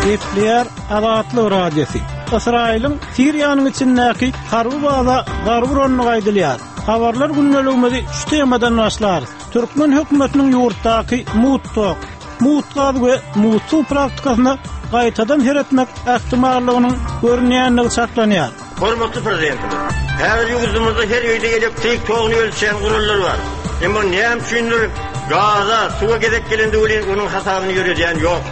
Gepleýär Azatlyk Radiosy. Ysraýylyň Siriýanyň içindäki harby baza zarba urandygy aýdylýar. Habarlar gündeligimizi şu temadan başlarys. Türkmen hökümetiniň ýurtdaky mugt tok, mugt gaz we mugt suw praktikasyna gaýtadan seretmek ähtimallygynyň görünýändigi çaklanýar. Hormatly Prezidentimiz! Häzir ýurdumyzda her öýde elektrik toguny ölçeýän gurallar bar. Emma näme üçindir gaza, suwa gezek gelende welin onuň hasabyny ýöredýän ýok.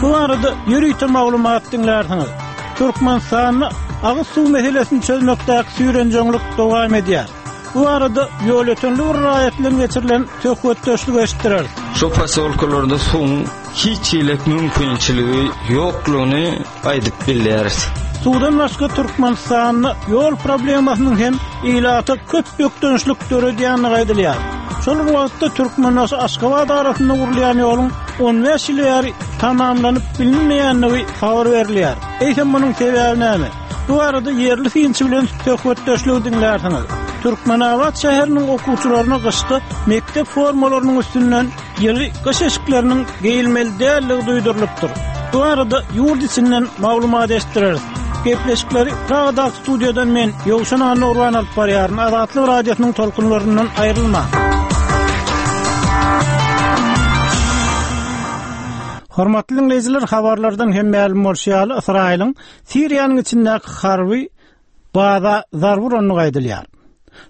Bu barada ýörite maglumat diňlärsiňiz. Türkmenistanda agyz suw meselesini çözmekdäki süýrenjeňlik dowam edýär. Bu barada ýolötenli bir raýat bilen geçirilen söhbetdeşligi eşitdireris. Şo posýolkalarda suwuň hiç hili mümkinçiligi ýoklugyny aýdyp bilýäris. Suwdan başga Türkmenistanda ýol problemasynyň hem ilata köp bökdençlik döredýändigi aýdylýar. Şol bir wagtda Türkmenbaşy-Aşgabat arasynda gurulýan ýoluň 15 ýyl bäri tamamlanyp bilinmeýändigi habar berilýär. Eýsem munuň sebäbi näme? Bu barada ýerli synçy bilen söhbetdeşligi diňlärsiňiz. Türkmenabat şäheriniň okuwçylaryna gyşda mekdep formalarynyň üstünden ýyly gyş eşikleriniň geýilmeli däldigi duýdurylypdyr. Bu barada ýurt içinden maglumat eşitdireris. Gepleşikleri Pragadaky studiýadan men, Ýowşan Annagurban alyp barýaryn. Azatlyk Radiosynyň tolkunlaryndan aýrylmaň. Hormatly diňleýjiler, habarlardan hem mälim bolşy ýaly, Ysraýylyň Siriýanyň içindäki harby baza zarba urandygy aýdylýar.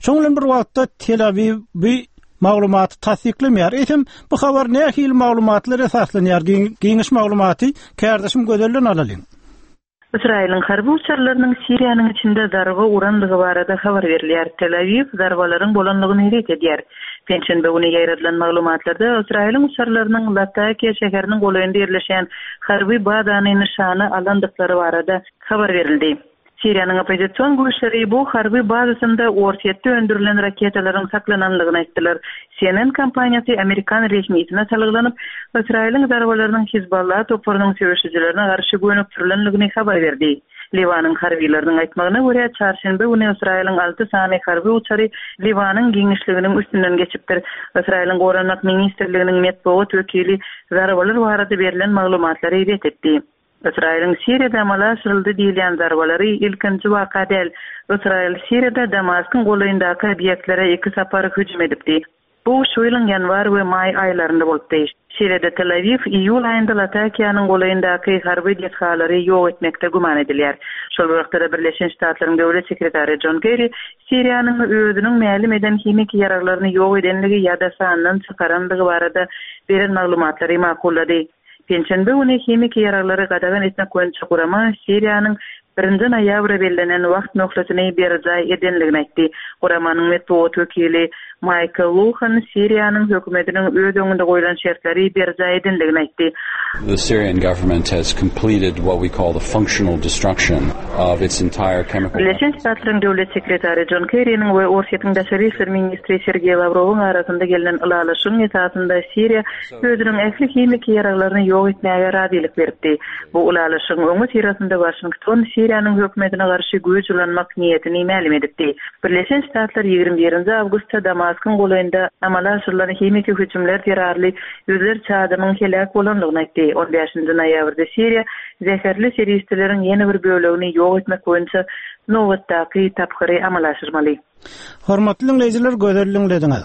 Şonuň bilen bir wagtda Tel-Awiw bu maglumaty tassyklamaýar. Eýsem, bu habar nähili maglumatlara esaslanýar? Giňiş maglumaty kärdeşim Gözelden alalyň. Ysraýylyň harby uçarlarynyň Siriýanyň içinde zarba urandygy barada habar berilýär. Tel-Awiw zarbalaryň bolandygyny ret edýär. Penşenbe güni ýaýradylan maglumatlarda Ysraýylyň uçarlarynyň Latakiýa şäheriniň golaýynda ýerleşýän harby bazany nyşana alandyklary barada habar berildi. Siriýanyň oppozision güýçleri bu harby bazasynda Orsýetde öndürilen raketalaryň saklananlygyny aýtdylar. CNN kompaniýasy amerikan resmisine salgylanyp, Ysraýylyň zarbalarynyň Hizballah toparynyň söweşijilerine garşy gönükdirilendigini habar berdi. Liwanyň harbylarynyň aýtmagyna görä, çarşenbe güni Ysraýylyň alty sany harby uçary Liwanyň giňişliginiň üstünden geçipdir. Ysraýylyň Goranmak ministrliginiň metbugat wekili zarbalar barada berlen maglumatlary ret etdi. Ysraýylyň Siriýada amala aşyryldy diýilýän zarbalary ilkinji waka däl. Ysraýyl Siriýada Damaskyň golaýyndaky obýektlere iki sapar hüjüm edipdi. Bu şu ýylyň ýanwar we maý aýlarynda bolupdy. Şeýle-de Tel-Awiw iýul aýynda Latakiýanyň golaýyndaky harby desgalary ýok etmekde güman edilýär. Şol bir wagtda-da Birleşen Ştatlaryň Döwlet sekretary Jon Kerri Siriýanyň özüniň mälim eden himiki ýaraglaryny ýok edenligi ýa-da sandan çykarandygy barada beren maglumatlary makullady. Penşenbe güni himiki ýaraglary gadagan etmek boýunça gurama Siriýanyň birinji noýabra bellenen wagt möhletini berjaý edenligini aýtdy. Guramanyň metbugat wekili Maýkl Luhan Siriýanyň hökümetiniň öz öňünde goýlan şertleri berjaý edenligini aýtdy. The Syrian government has completed what we call the functional destruction of its entire chemical Birleşen Ştatlaryň Döwlet sekretary Jon Kerriniň we Orsýetiň daşary işler ministri Sergeý Lawrowyň arasynda gelnen ylalaşygyň esasynda Siriýa özüniň ähli himiki ýaraglaryny ýok etmäge razylyk beripdi. Bu ylalaşygyň öňüsyrasynda Waşington Siriýanyň hökümetine garşy güýç ulanmak niýetini mälim edipdi. Birleşen Ştatlar 21 nji awgustda Damaskyň golaýynda amala aşyrylan himiki hüjümler zerarly ýüzlerçe adamyň heläk bolandygyny aýtdy. On bäşinji noýabrda Siriýa zäherli serişdeleriň ýene bir bölegini ýok etmek boýunça nobatdaky tapgyry amala aşyrmaly. Hormatly diňleýjiler gözel diňlediňiz.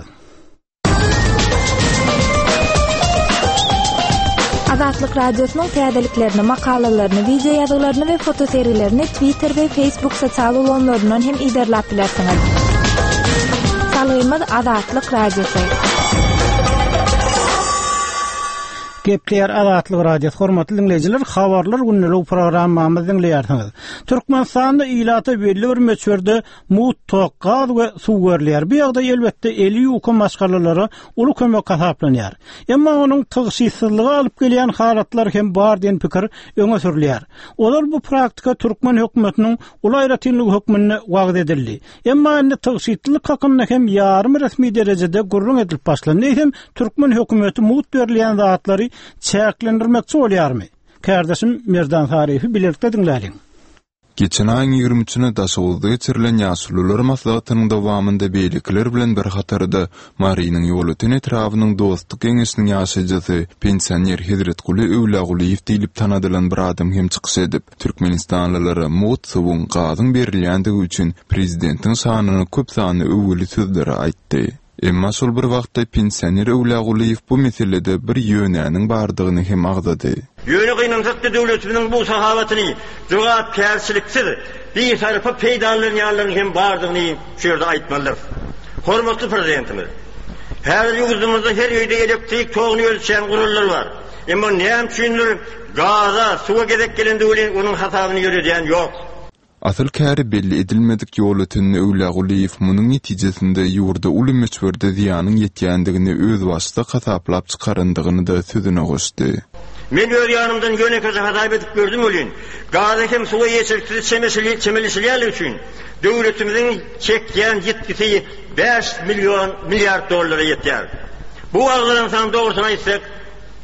Azatlyk Radiosynyň täzeliklerini, makalalaryny, wideo ýazgylaryny we fotosergilerini Twitter we Facebook sosial ulgamlaryndan hem yzarlap bilersiňiz. Salgymyz Azatlyk Radiosy. Gepleýär Azatlyk Radiosy. Hormatly diňleýjiler, Habarlar gündelik programmamyzy diňleýärsiňiz. Türkmenistanda ilata belli bir möçberde Mugt tok, gaz we suw berilýär. Bu ýagdaý, elbetde, eli ýuka maşgalalara uly kömek hasaplanýar. Emma onuň tygşytsyzlyga alyp gelýän halatlary hem bar diýen pikir öňe sürülýär. Ozal bu praktika türkmen hökümetiniň uly aýratynlygy hökmünde wagyz edildi. Emma indi tygşytlylyk hakynda hem ýarym resmi derejede gürrüň edilip başlandy. Eýsem, türkmen hökümeti mugt berilýän zatlary çäklendirmekçi bolýarmy? Kärdeşim Merdan Saryýewi bilelikde diňläliň. Geçen aýyň ýigrimi üçüne Daşoguzda geçirilen Ýaşulular maslahatynyň dowamynda beýlekiler bilen bir hatarda Marynyň Ýolöten etrabynyň Dostluk geňeşiniň ýaşaýjysy, pensioner Hezretguly Öwlýagulyýew diýlip tanadylan bir adam hem çykyş edip, türkmenistanlylara mugt suwuň, gazyň berilýändigi üçin prezidentiň şanyna köp sanly öwgüli sözleri aýtdy. Emma şol bir wagtda pensioner Öwlýagulyýew bu meselede bir ýönäniň bardygyny hem agzady. Ýöne gynansak-da döwletimiziň bu sahawatyny jogapkärçiliksiz, bisarpa peýdalanýanlaryň hem bardygyny şu ýerde aýtmalydyrys. Hormatly Prezidentimiz, häzir ýurdumyzda her öýde elektrik toguny ölçeýän gurallar bar. Emma näme üçindir gaza, suwa gezek gelende welin onuň hasabyny ýöredýän ýok. Asyl käri belli edilmedik Ýolötenli Öwlýagulyýew munuň netijesinde ýurda uly möçberde zyýanyň ýetýändigini özbaşdak hasaplap çykarandygyny-da sözüne goşdy. Men öz ýanymdan ýönekeje hasap edip gördüm welin, gaza hem suwa ýetersiz çemeleşilýänligi üçin döwletimiziň çekýän ýitgisi bäş million milliard dollara ýetýär. Bu agzalan san dogrusyny aýtsak,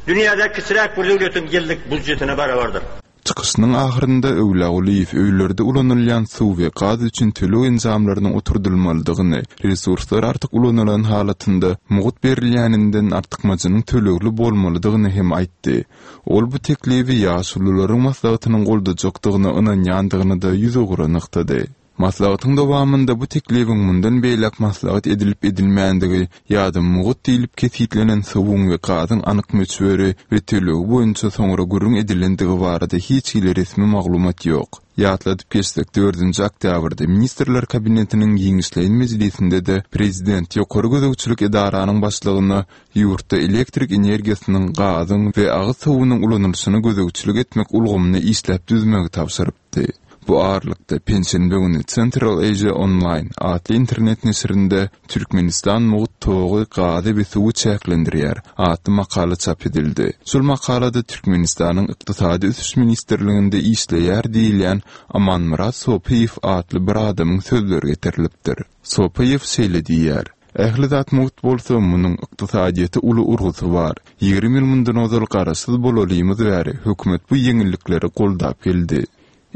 dünýädäki kiçiräk bir döwletiň ýyllyk býujetine barabardyr. Çykyşynyň ahyrynda Öwlýagulyýew öýlerde ulanylýan suw we gaz üçin töleg enjamlarynyň oturdylmalydygyny, resurslar artyk ulanylan halatynda mugt berilýäninden artykmajynyň tölegli bolmalydygyny hem aýtdy. Ol bu teklibi Ýaşulularyň maslahatynyň goldajakdygyna ynanýandygyny-da ýüzugra nygtady. Maslahatyň dowamynda bu teklibiň mundan beýläk maslahat edilip-edilmändigi ýa-da mugt diýlip kesgitlenen suwuň we gazyň anyk möçberi we tölegi boýunça soňra gürrüň edilendigi barada hiç hili resmi maglumat ýok. Ýatladyp geçsek, dördünji oktýabrda Ministrler Kabinetiniň giňişleýin mejlisinde-de prezident ýokary gözegçilik edaranyň başlygyna ýurtda elektrik energiýasynyň, gazyň we agyz suwunyň ulanylyşyna gözegçilik etmek ulgamyny işläp düzmegi tabşyrypdy. Bu aralykda, penşenbe güni Central Asia Online atly internet neşirinde Türkmenistan mugt togy, gazy we suwy çäklendirýär atly makala çap edildi. Şol makalada Türkmenistanyň Ykdysady ösüş ministrliginde işleýär diýilýän Amanmyrat Sopyýew atly bir adamyň sözleri getirilipdir. Sopyýew şeýle diýýär, Ähli zat mugt bolsa, munuň ykdysadyýete uly urgusy bar. 20 ýyl mundan ozal garaşsyz bolalymyz bäri hökümet bu ýeňillikleri goldap geldi.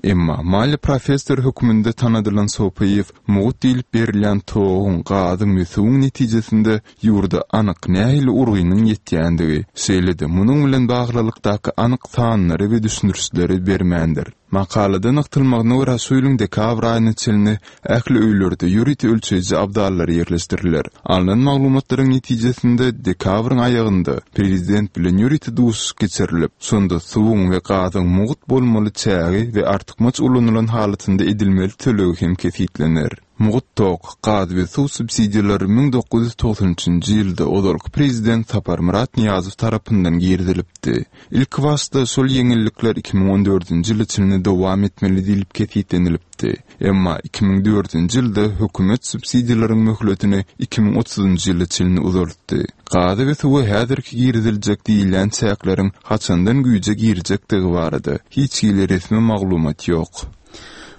Emma, maliýe professory hökmünde tanadylan Sopyýew mugt diýlip berilýän toguň, gazyň we suwuň netijesinde ýurda anyk nähili urgynyň ýetýändigi, şeýle-de munuň bilen baglylykdaky anyk sanlary we düşündirişleri bermändir. Makalada nygtalmagyna görä, şu ýylyň dekabr aýyna çenli ähli öýlerde ýörite ölçeýji abzallar ýerleşdiriler. Alnan maglumatlaryň netijesinde, dekabryň aýagynda prezident bilen ýörite duşuşyk geçirilip, şonda suwuň we gazyň mugt bolmaly çägi we artykmaç ulanylan halatynda edilmeli tölegi hem kesgitlener. Mugt tok, gaz we suw subsidiýalary 1993-nji ýylda ozalky prezident Saparmyrat Nyýazow tarapyndan girizilipdi. Ilkibaşda şol ýeňillikler 2014-nji ýyla çenli dowam etmeli diýlip kesgitlenilipdi. Emma 2004-nji ýylda hökümet subsidiýalaryň möhletini 2030-njy ýyla çenli uzaltdy. Gaza we suwa häzirki giriziljek diýilýän çäkleriň haçandan güýje girjekdigi barada hiç hili resmi maglumat ýok.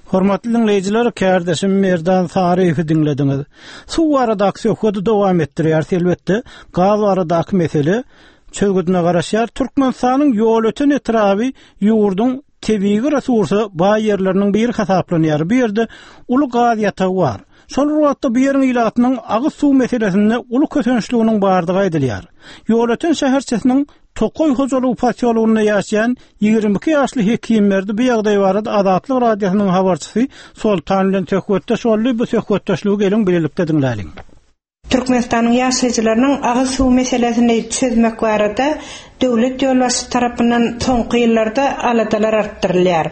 Hormatly diňleýjiler, kärdeşim Merdan Saryýewi diňlediňiz. Suw baradaky söhbedi dowam etdirýäris. Elbetde, gaz baradaky mesele çözgüdine garaşýar. Türkmenistanyň Ýolöten etraby ýurduň tebigy resursa baý ýerleriniň biri hasaplanýar. Bu ýerde uly gaz ýatagy bar. Şol bir wagtda bu ýeriň ilatynyň agyz suw meselesinde uly kösençliginiň bardygy aýdylýar. Ýolöten şäherçesiniň Tokaý hojalygy posýologynda ýaşaýan 22 ýaşly Hekimberdi bu ýagdaý barada Azatlyk Radiosynyň habarçysy Soltan bilen söhbetdeş boldy. Bu söhbetdeşligi geliň bilelikde diňläliň. Türkmenistanyň ýaşaýjylarynyň agyz suw meselesini çözmek barada döwlet ýolbaşçysy tarapyndan soňky ýyllarda aladalar artdyrylýar.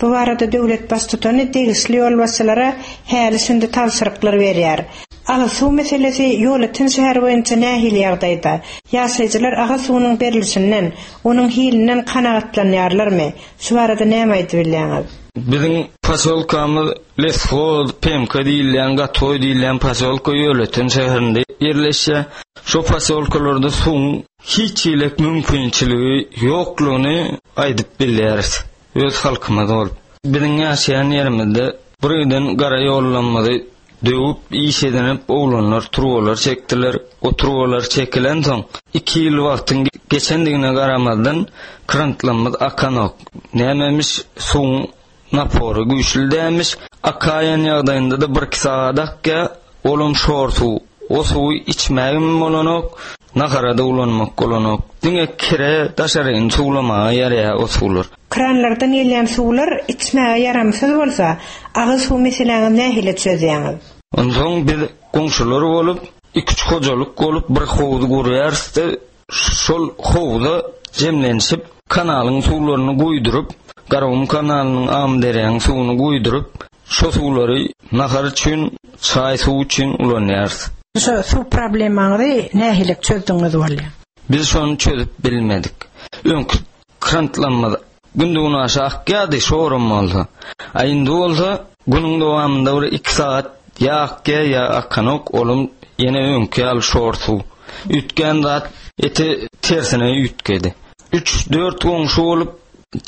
Bu barada döwlet Baştutany degişli ýolbaşçylara häli-şindi tabşyryklar berýär. Agyz suw meselesi Ýolöten şäheri boýunça nähili ýagdaýda? Ýaşaýjylar agyz suwunyň berlişinden, onuň hilinden kanagatlanýarlarmy? Şu barada näme aýdyp bilýäňiz? Biziň posýolkamyz Leshoz, PMK diýilýän, Gatoý diýilýän posýolka Ýolöten şäherinde ýerleşýär. Şo posýolkalarda suwuň hiç hili mümkinçiligi ýoklugyny aýdyp bilýäris. Öz halkymyz bolup. Biziň ýaşaýan ýerimizde bir giden gara ýollamyzy döwüp, iş edinip oglanlar turbalar çekdiler. O turbalar çekilensoň, iki ýyl wagtyň geçendigine garamazdan krantlamyz akanok. Nämemiş suwuň. Napory güýçli dälmiş. Akaýan ýagdaýynda-da birki sagat akýar. Olam şor suw. O suwy içmägem bolanok, nahara-da ulanmak bolanok. Diňe kire, daşaryny suwlamaga ýaraýar o suwlar. Kranlardan gelýän suwlar içmäge ýaramsyz bolsa, agyz suw meseläňizi nähili çözýäňiz? Onsoň biz goňşular bolup, iki-üç hojalyk bolup bir howuz gurýarys-da, Şol howza jemlenişip, kanalyň suwlaryny guýduryp, Garagum kanalynyň Amyderýanyň suwuny guýduryp, şo suwlary nahar üçin, çaý suwy üçin ulanýarys. Şo suw problemaňyzy nähili çözdüňiz bolýar? Biz şony çözüp bilmedik. Öňki Krantlamyz günde-günaşa akýardy, şoram bolsa. A indi bolsa günüň dowamynda bir iki sagat ýa akýar, ýa akanok, olam ýene öňki ýaly şor suw. Üýtgän zat eti tersine üýtgedi. Üç-dört goňşy bolup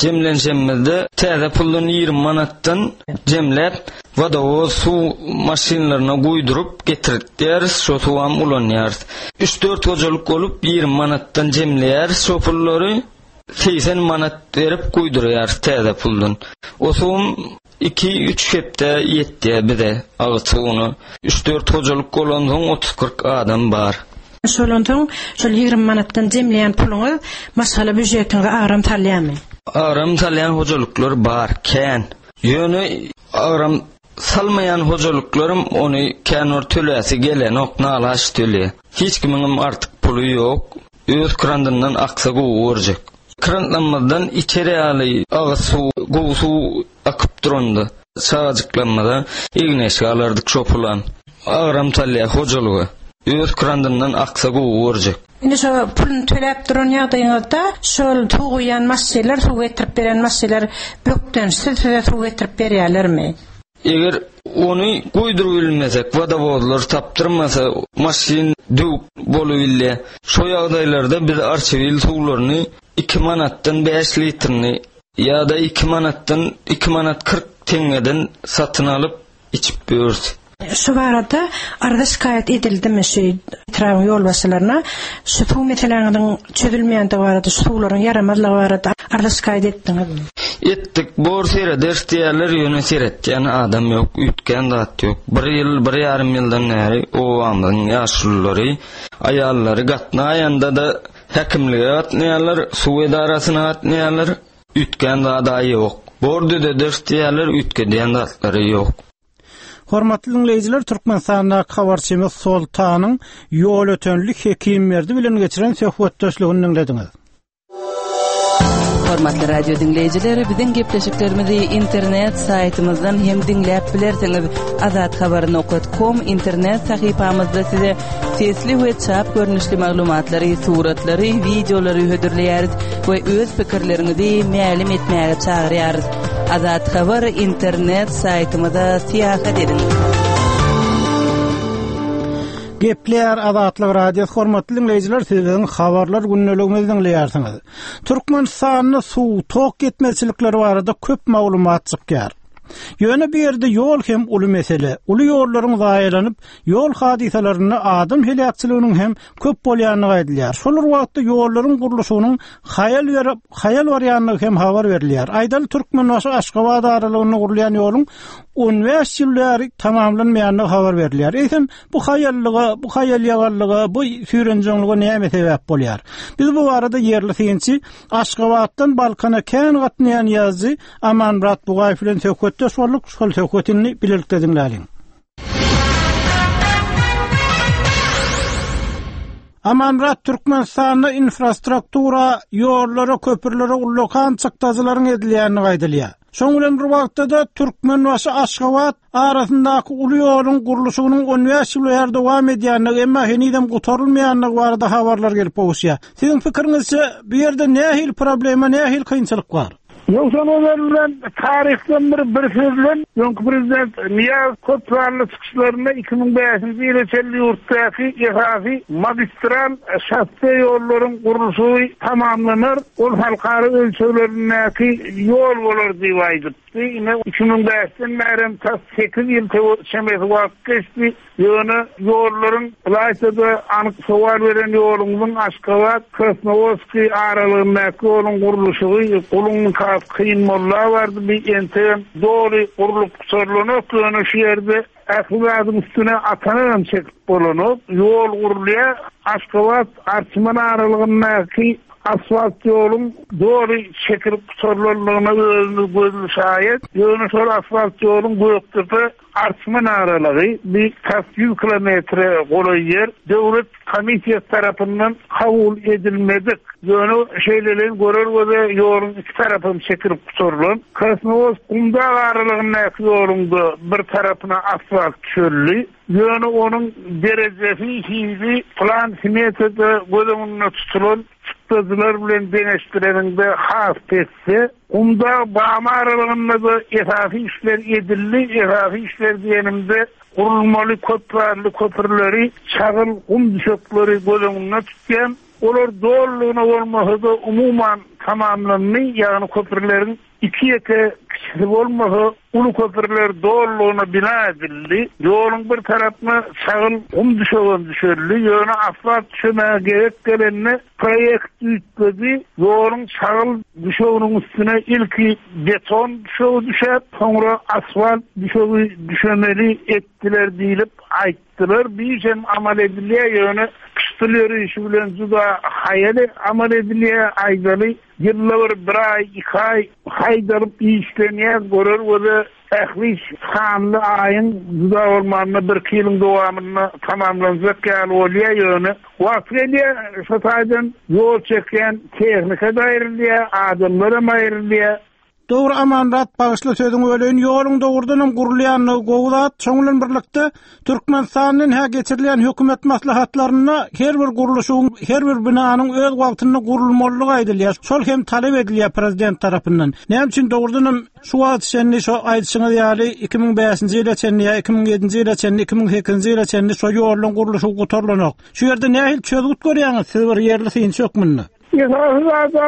jemlenşemizde täze puldan 20 manatdan jemläp, wodowoz suw maşynlaryna guýduryp getirtýäris, şo suwam ulanýarys. Üç-dört hojalyk bolup 20 manatdan jemleýäris şo pullary. 80 manat berip guýdurýarys täze puldan. O suwum iki-üç hepde ýetýär bize agyz suwuna. Üç-dört hojalyk bolansoň otuz-kyrk adam bar. Şondan soň şol 20 manatdan jemleýän puluňyz maşgala býujetiňize agram salýarmy? Agram salýan hojalyklar bar, kän. Ýöne agram salmaýan hojalyklaram ony kän bir töläsi gelenok, nalaç tölýär. Hiç kimiňem artyk puly ýok. Öz krandyndan aksa gowy görjek. Krantlanmazdan içer ýaly agyz suw, gowy suw akyp duranda, çagajyklanmaza egin-eşik alardyk şo pulam. Agram salýar hojalyga. Öz krandyndan aksa gowy görjek. Indi şo puluny töläp duran ýagdaýyňyzda şol suw guýýan maşynlar, suw getirip beren maşynlar bökdençsiz size suw getirip berýärlermi? Eger ony guýdurybilmesek, wodowozlar tapdyrmasa, maşyn döwük bolubilýär. Şo ýagdaýlarda biz Arçabil suwlaryny iki manatdan bäş litrini ýa-da iki manatdan iki manat 40 teňňeden satyn alyp içip ýörüs. Şu barada arza-şikaýat edildimi şu etrabyň ýolbaşçylaryna şu suw meseläňiziň çözülmeýändigi barada, şu suwlaryň ýaramazlygy barada arza-şikaýat etdiňizmi? Etdik, bor serederis diýýärler, ýöne seretýän adam ýok, üýtgän zat ýok. Bir ýyl, bir ýarym ýyldan bäri obamyzyň ýaşululary, aýallary gatnaýanda-da häkimlige gatnaýarlar, suw edarasyna gatnaýarlar, üýtgän zad-a ýok. Bor düzederis diýýärler, üýtgedýän zatlary ýok. Hormatly diňleýjiler, Türkmenistandaky habarçymyz Soltanyň Ýolötenli Hekimberdi bilen geçiren söhbetdeşligini diňlediňiz. Hormatly radio diňleýjiler, biziň gepleşiklerimizi internet saýtymyzdan hem diňläp bilersiňiz. Azathabar.com internet sahypamyzda size sesli we çap görnüşli maglumatlary, suratlary, wideolary hödürleýäris we öz pikirleriňizi mälim etmäge çagyrýarys. Azat Habar internet saýtymyza syýahat ediň. Gepleýär Azatlyk Radiosy hormatly diňleýjiler siz biziň habarlar gündeligimizi diňleýärsiňiz. Türkmenistanda suw, tok ýetmezçilikleri barada köp maglumat çykýar. Ýöne bu ýerde ýol hem uly mesele. Uly ýollaryň zaýalanyp, ýol hadysalarynda adam heläkçiliginiň hem köp bolýandygy aýdylýar. Şol bir wagtda ýollaryň gurluşygynyň haýal berip, haýal barýandygy hem habar berilýär. Aýdaly, Türkmenbaşy-Aşgabat aralygynda gurulýan ýoluň 15 ýyl bäri tamamlanmaýandygy habar berilýär. Eýsem, bu haýallyga, bu haýal-ýagallyga, bu süýrenjeňlige näme sebäp bolýar? Biz bu barada ýerli synçy, Aşgabatdan Balkana kän gatnaýan ýazyjy Amanmyrat Bugaýew bilen söhbetdeş bolduk. Şol söhbeti indi bilelikde diňläliň. Amanmyrat Türkmenistanda infrastruktura, ýollara, köprülere ullakan çykdajylaryň edilýändigi aýdylýar. Şoň bilen bir wagtda-da Türkmenbaşy-Aşgabat arasyndaky uly ýoluň gurluşygynyň 15 ýyl bäri dowam edýändigi, emma henizem gutarylmaýandygy barada habarlar gelip gowuşýar. Siziň pikiriňizçe, bu ýerde nähili problema, nähili kynçylyk bar? Ýogsam ozal bilen taryhdan bir bir söz bilen öňki prezident Nyýazow köp sanly çykyşlarynda 2005-nji ýyla çenli ýurtdaky esasy magistral şosse ýollaryň gurluşygy tamamlanar, ol halkara ölçeglerindäki ýol bolar diýip aýdypdy. Ine, 2005-den bärem tas sekiz ýyl çemesi wagt geçdi. Ýöne ýollaryň, ylaýta-da anyk sowal beren ýoluňyzyň Aşgabat, Krasnowodskiý aralygyndaky ýoluň gurluşygy guluň nikasy. Krasnowodsk Kynmolla bardy, bi entegem doly gurlup gutarylanok, ýöne şu ýerde ähli zadyň üstüne atanagam çekip bolanok. Ýol gurulýar, Aşgabat, Arçman aralygyndaky asfalt ýoluň doly çekilip gutarylanlygyna özümiz gözli şaýat. Ýöne şol asfalt ýoluň Gökdepe, Arçman aralygy bi tas ýüz kilometre golaý ýer döwlet komissiýasy tarapyndan kabul edilmedik. Ýöne şeýleleýin görer göze ýoluň iki tarapam çekilip gutarylan. Krasnowodsk Gumdag aralygyndaky ýoluň-da bir tarapyna asfalt düşeldi. Ýöne onuň derejesi, hili plan-smetada göz öňünde tutulan çykdajylar bilen deňeşdireniňde has pesde. Gumdag Bamy aralygynda-da esasy işler edildi. Esasy işler diýenimde, gurulmaly köpsanly köprüleri, çagyl, gum düşekleri göz öňünde tutýan. Olar dolulygyna bolmasa-da, umuman tamamlandy, ýagny köprüleriň iki-ýeke kiçisi bolmasa, uly köprüler dolulygyna bina edildi. Ýoluň bir tarapyna çagyl, gum düşegem düşeldi. Ýöne asfalt düşemäge gezek gelende, Proýekt üýtgedi, ýoluň çagyl düşeginiň üstüne ilki beton düşegi düşäp, soňra asfalt düşegi düşemeli etdiler diýlip aýtdylar. Bu iş hem amal edilýär, ýöne pyşdyl ýörişi bilen juda haýal amal edilýär, aýdaly, ýylda bir bir aý, iki aý haýdalyp işlenýär, görer göze Ähli iş sanly aýyň juda bolmanda birki ýylyň dowamynda tamamlanjak ýaly bolýar, ýöne wagty gelýär, şo taýdan ýol çekýän tehnika-da aýrylýar, adamlaram aýrylýar. Dogry Amanmyrat bagyşla sözüňi böleýin ýoluň dogrudanam gurulýanlygy gowy zat şoň bilen birlikde Türkmenistanda hä geçirilýän hökümet maslahatlarynda her bir gurluşygyň her bir binanyň öz wagtynda gurulmalydygy aýdylýar şol hem talap edilýär prezident tarapyndan näme üçin dogrudanam Şu wagta çenli şo aýdyşyňyz ýaly 2005-nji ýyla çenli ýa 2007-nji ýyla çenli, 2008-nji ýyla çenli şo ýoluň gurluşygy gutarylanok. Şu ýerde nähili çözgüt görýäňiz siz bir ýerli synçy hökmünde? Esasy zada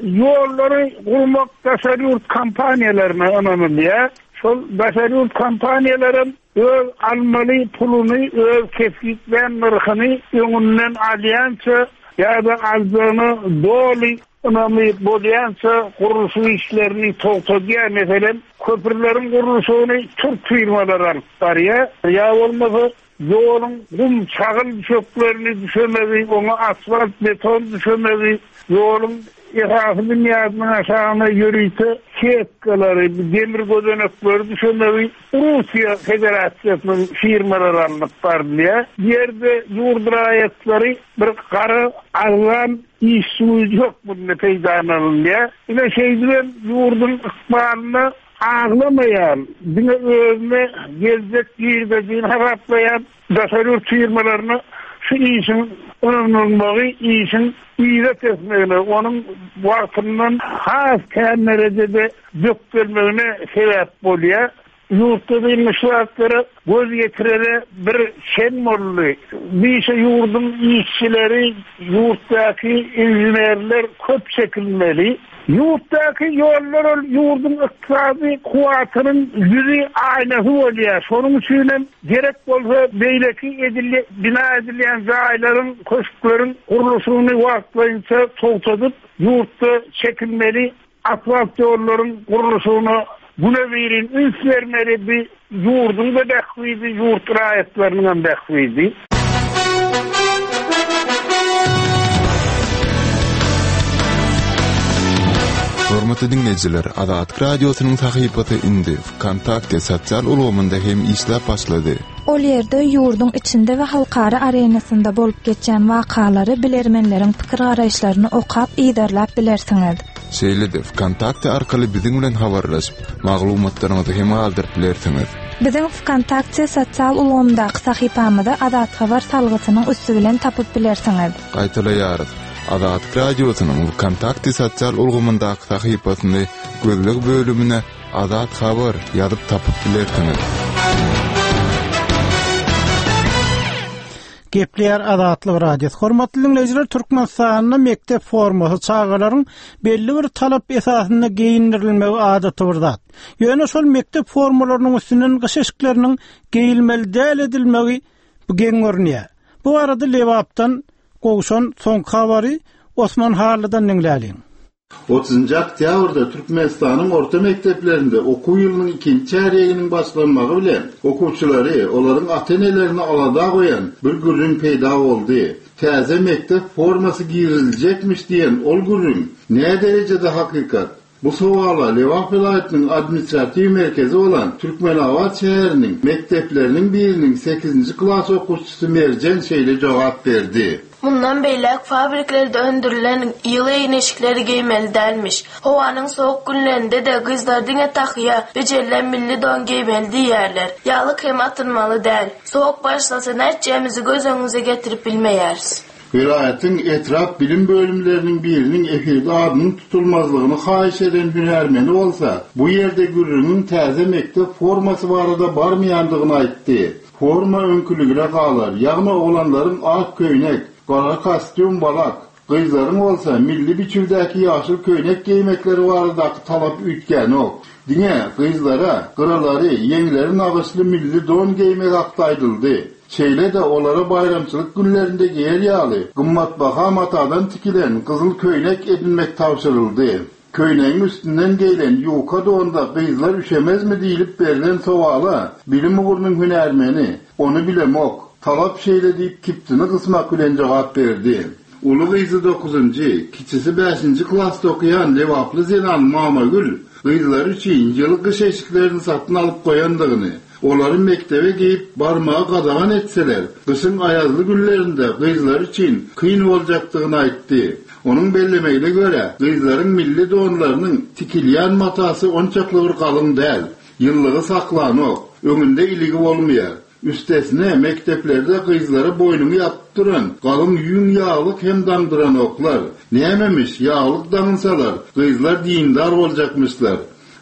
ýollary gurmak daşary ýurt kompaniýalaryna ynanylýar. Şol daşary ýurt kompaniýalaram öz almaly puluny, öz kesgitlän nyrhyny öňünden alýança ýa-da aljagyna doly Ynamy bolýança gurluşyk işlerini togtadýar. Meselem, köprüleriň gurluşygyny türk firmalary alyp barýar. Ýa bolmasa, ýoluň gum, çagyl düşeklerini düşemegi, oňa asfalt, beton düşemegi, ýoluň esasy binýadynyň aşagyna ýörite setkalary, demir gözenekleri düşemegi Russiýa Federasiýasynyň firmalary alnyp barylýar. Bu ýerde ýurt raýatlary bir gara arzan Işçi güýji hökmünde peýdalanylýar. Ine, şeýdibem ýurduň ykbalyna aglamaýan, diňe özüne geljek girdejini hasaplaýan daşary ýurt firmalaryna şu işiň ynanylmagy işiň yza tesmegine, onuň wagtyndan has kän derejede bökdelmegine sebäp bolýar. Ýurtda diýilmiş zatlara göz ýetirere bir çen boldy. Bu işe ýurduň işçileri, ýurtdaky inženerler köp çekilmeli. Ýurtdaky ýollar ol ýurduň ykdysady kuwwatynyň ýüzi, aýnasy bolýar. Şonuň üçinem gerek bolsa beýleki edil bina edilýän jaýlaryň, köşkleriň gurluşygyny wagtlaýynça togtadyp, ýurtda çekilmeli. Asfalt ýollaryň gurluşygyna güne-birin üns bermeli, bu ýurduň-da bähbidi, ýurt raýatlarynyňam bähbidi. Hormatly diňleýjiler, Azatlyk Radiosynyň sahypasy indi Wkontakte sosial ulgamynda hem işläp başlady. Ol ýerde ýurduň içinde we halkara arenasynda bolup geçýän wakalary, bilermenleriň pikir-garaýyşlaryny okap, yzarlap bilersiňiz. Şeýle-de Wkontakte arkaly biziň bilen habarlaşyp, maglumatlaryňyzy hem galdyryp bilersiňiz. Biziň Wkontakte sosial ulgamyndaky sahypamyzy Azat Habar salgysynyň üsti bilen tapyp bilersiňiz. Gaýtalaýarys, Azatlyk Radiosynyň Wkontakte sosial ulgamyndaky sahypasyny gözleg bölümine Azat Habar ýazyp tapyp bilersiňiz. Gepleýär Azatlyk Radiosy. Hormatly diňleýjiler, Türkmenistanda mekdep formasy çagalaryň belli bir talap esasynda geýindirilmegi adaty bir zat. Ýöne şol mekdep formalarynyň üstünden gyş eşikleriniň geýilmeli däl edilmegi bu geň görünýär. Bu barada Lebapdan gowşan soňky habary Osman Hallydan diňläliň. Otuzynjy oktýabrda Türkmenistanyň orta mekdeplerinde okuw ýylynyň ikinji çärýeginiň başlanmagy bilen, okuwçylary, olaryň ata-enelerini alada goýan bir gürrüň peýda boldy. Täze mekdep formasy giriziljekmiş diýen ol gürrüň näderejede hakykat? Bu sowala Lebap welaýatynyň administratiw merkezi bolan Türkmenabat şäheriniň mekdepleriniň biriniň sekizinji klas okuwçysy Merjen şeýle jogap berdi. Mundan beýläk fabriklerde öndürilen ýyly egin-eşikleri geýmeli dälmiş. Howanyň sowuk günlerinde-de gyzlar diňe tahýa, bejerilen milli don geýmeli diýýärler. Ýaglyk hem atynmaly däl. Sowuk başlasa nätjegimizi göz öňümize getirip bilmeýäris. Welaýatyň etrap bilim bölümleriniň biriniň efirde adynyň tutulmazlygyny haýyş eden hünärmeni bolsa, bu ýerde gürrüňiň täze mekdep formasy barada barmaýandygyny aýtdy. Forma öňküligine galar, ýagny oglanlaryň ak köýnek, gara kostýum, balak, gyzlaryň bolsa milli biçüwdäki ýaşyl köýnek geýmekleri baradaky talap üýtgänok. Diňe gyzlara gyralary, ýeňleri nagyşly milli don geýmek hakda aýdyldy. Şeýle-de olara baýramçylyk günlerinde geýer ýaly gymmatbaha matadan tikilen gyzyl köýnek edinmek tabşyryldy. Köýnegiň üstünden geýlen ýuka donda gyzlar üşemezmi diýlip berlen sowala bilim ugrunyň hünärmeni, Ony bilemok, talap şeýle diýip kibtini gysmak bilen jogap berdi. Uly gyzy dokuzynjy, kiçisi bäşinji klasda okaýan lebaply zenan Mamagül gyzlary üçin ýyly gyş eşiklerini satyn alyp goýandygyny, Olary mekdebe geýip barmagy gadagan etseler, gyşyň aýazly günlerinde gyzlary üçin kyn boljakdygyny aýtdy. Onuň bellemegine görä, gyzlaryň milli donlarynyň tikilýän matasy onçakly bir galyň däl, ýyllygy saklanok, öňünde iligi bolmaýar. Üstesine, mekdeplerde gyzlara boýnuňy ýapyp duran galyň ýüň ýaglyk hem daňdyranoklar. Nämemiş, ýaglyk daňynsalar, gyzlar dindar boljakmyşlar.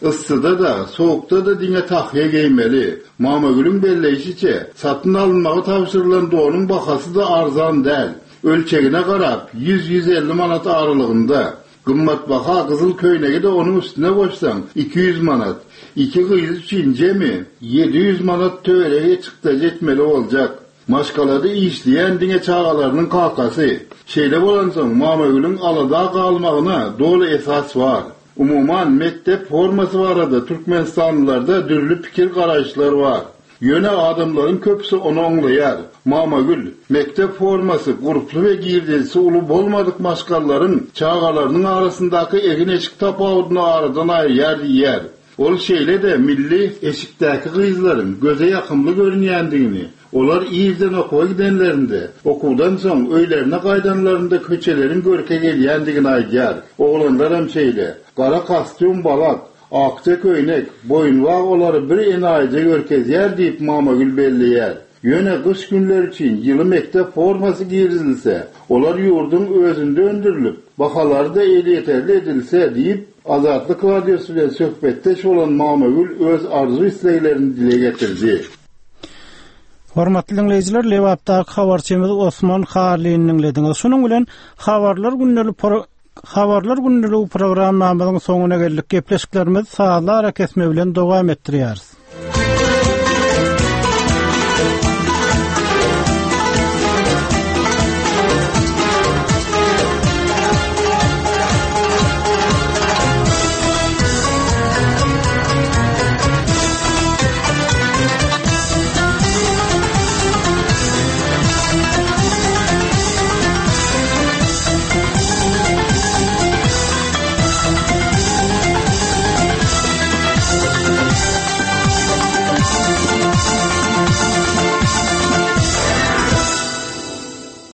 Yssyda-da, sowukda-da diňe tahýa geýmeli. Mamagülüň belleýşiçe, satyn alynmagy tabşyrylan donuň bahasy-da arzan däl. Ölçegine garap, ýüz-ýüz elli manat aralygynda. Gymmatbaha gyzyl köýnegi-de onuň üstüne goşsaň, 200 manat. Iki gyz üçin jemi 700 manat töweregi çykdajy etmeli boljak. Maşgalada işleýän diňe çagalarynyň kakasy. Şeýle bolansoň, Mamagülüň alada galmagyna doly esas bar. Umuman, mekdep formasy barada türkmenistanlylarda dürli pikir-garaýyşlar bar. Ýöne adamlaryň köpüsi ony oňlaýar. Mamagül, mekdep formasy gurply we girdejisi uly bolmadyk maşgalalaryň çagalarynyň arasyndaky egin-eşik tapawudyny aradan aýyrýar diýýär. Ol şeýle-de milli eşikdäki gyzlaryň göze ýakymly görünýändigini, olar irden okuwa gidenlerinde, okuwdan soň öýlerine gaýdanlarynda köçeleriň görke gelýändigini aýdýar. Oglanlaram şeýle. Gara kostýum, balak, akja köýnek, boýunbag olary bir enaýyja görkezýär diýip Mamagül belleýär. Ýöne gyş günleri üçin ýyly mekdep formasy girizilse, olar ýurduň özünde öndürilip, bahalary-da elýeterli edilse diýip, Azatlyk Radiosy bilen söhbetdeş bolan Mamagül öz arzuw-isleglerini dile getirdi. Hormatly diňleýjiler, Lebapdaky habarçymyz Osman Harlyny diňlediňiz. Şunuň bilen Habarlar gündelik Habarlar gündeligi programmamyzyň soňuna geldik. Gepleşiklerimizi sazly arakesme bilen dowam etdirýäris.